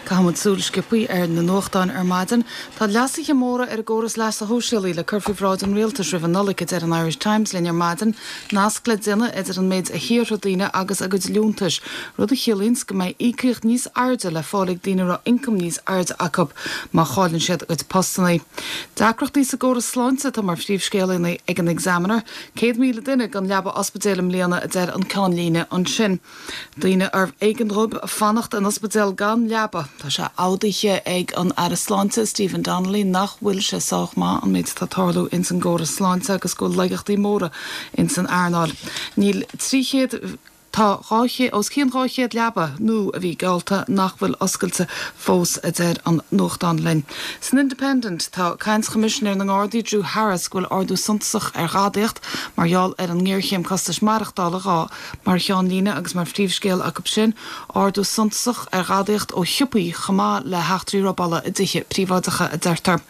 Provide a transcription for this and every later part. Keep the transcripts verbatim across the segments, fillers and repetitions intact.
Caithfimid súil sciobtha ar na nuachtáin ar maidin, Tá leasuithe móra ar an gcóras leasa shóisialaigh le cur faoi bhráid an rialtais roimh an Nollaig a deir an Irish Times linn ar maidin, nasc le déanamh idir an méid a shaothraigh daoine agus a gcuid liúntais, rud a chiallaíonn go mbeidh íocaíocht níos airde le fáil ag daoine a raibh ioncam níos airde acu má chailleann siad a gcuid postanna. Deacrachtaí sa gcóras sláinte atá mar phríomhscéal ag an Examiner, céad míle duine gan leaba ospidéil i mbliana a deir an ceannlíne ansin. Daoine arbh éigean dóibh fanacht in ospidéal gan leaba. Tá sé admhaithe ag an Aire Sláinte Stephen Donnelly nach bhfuil sé sách maith an méid atá ag tarlú ins an gcóras sláinte agus go bhfuil laigeachtaí móra ins an earnáil. Níl trí chéad Tá os cionn dhá chéad leaba nua a bhí geallta nach bhfuil oscailte fós a deir an nuachtán linn. San Independent tá caint Choimisinéir na nGardaí Drew Harris go bhfuil ardú suntasach ar ghadaíocht mar gheall ar an ngéarchéim costais maireachtála dhá mar cheannlíne agus mar phríomhscéal acu sin, ardú suntasach ar ghadaíocht ó shiopaí chomh maith le heachtraí robála i dtithe príobháideacha a deirtear.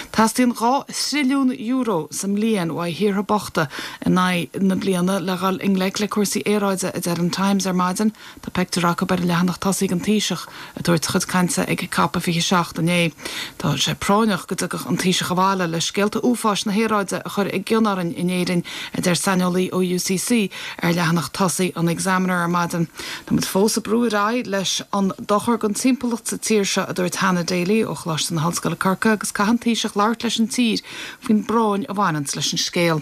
Teastaíonn dhá thrilliún euro sa mbliain ó thíortha bochta in aghaidh na bliana le dhul i ngleic le cúrsaí aeráide a deir an Times ar maidin, Tá pictiúr acu ar an leathanach tosaigh an Taoiseach ag tabhairt a chuid cainte ag COP a fiche seacht inné. Tá sé práinneach go dtiocfadh an Taoiseach abhaile le scéalta uafáis na haeráide a chur i gcion orainn in Éirinn a deir saineolaí ó UCC ar leathanach tosaigh an Examiner ar maidin. Táimid fós ag brú ar aghaidh leis an dochar don timpeallacht sa tír seo a dúirt Hannah Daly ó Choláiste na hOllscoile Corcaigh agus caithfidh an Taoiseach labhairt leis an tír faoin bpráinn a bhaineann leis an scéal.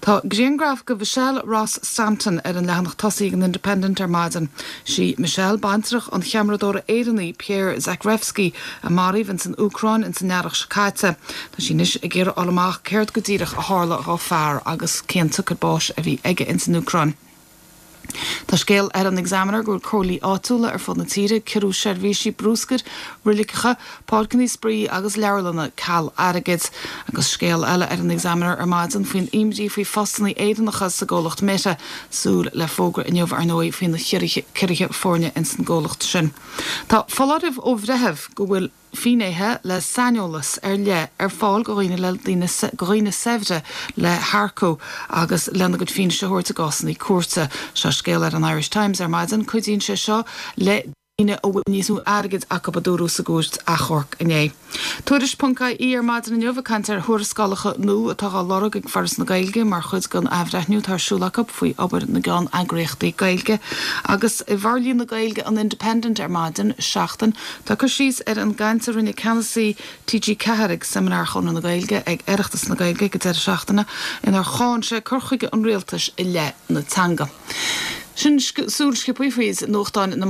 Tá grianghraf de Michelle Ross Stanton ar an leathanach tosaigh an Independent ar maidin. Sí Michelle baintreach an cheamaradóra Éireannaigh Pierre Zakrevsky a maraíodh ins an Úcráin ins an earrach seo caite. Tá sí anois ag iarraidh fháil amach céard go díreach a tharla dá fear agus cén tsiocair báis a bhí aige ins an Úcráin. Tá scéal ar an Examiner go bhfuil comhairlí áitiúla ar fud na tíre ag ciorrú seirbhísí bruscair, reiligeacha, páirceanna spraoi agus leabharlanna ceal airgid. Agus scéal eile ar an Examiner ar maidin faoin imní faoi phostanna Éireannacha sa gcomhlacht Meta, súil le fógra inniu ar ndóigh faoi na ciorruithe foirne ins an gcomhlacht sin. Tá foláireamh ó bhreitheamh go bhfuil finnéithe le saineolas ar leith ar fáil go dhaoine le daoine go dhaoine saibhre le hearcú agus lena gcuid fianaise a thabhairt i gcásanna cúirte. Seo scéal ar an Irish Times ar maidin cuidíonn sé seo le daoine a bhfuil níos mó airgid acu a dúradh sa gcúirt achomhairc inné. Tuairisc.ie ar maidin inniu ag caint ar thuarascálacha nua atá á lorg ag Foras na Gaeilge mar chuid den athbhreithniú atá ar siúl acu faoi obair na gceanneagraíochtaí Gaeilge. Agus i bhforlíonadh Gaeilge an Independent ar maidin seachtain tá cur síos ar an gcaint a rinne ceannasaí TG Ceathair ag seimineár Chonradh na Gaeilge ag Oireachtas na Gaeilge go deireadh seachtaine inar cháin sé cur chuige an rialtais i leith na teanga. Sin súil sciobtha faoi nuachtáin na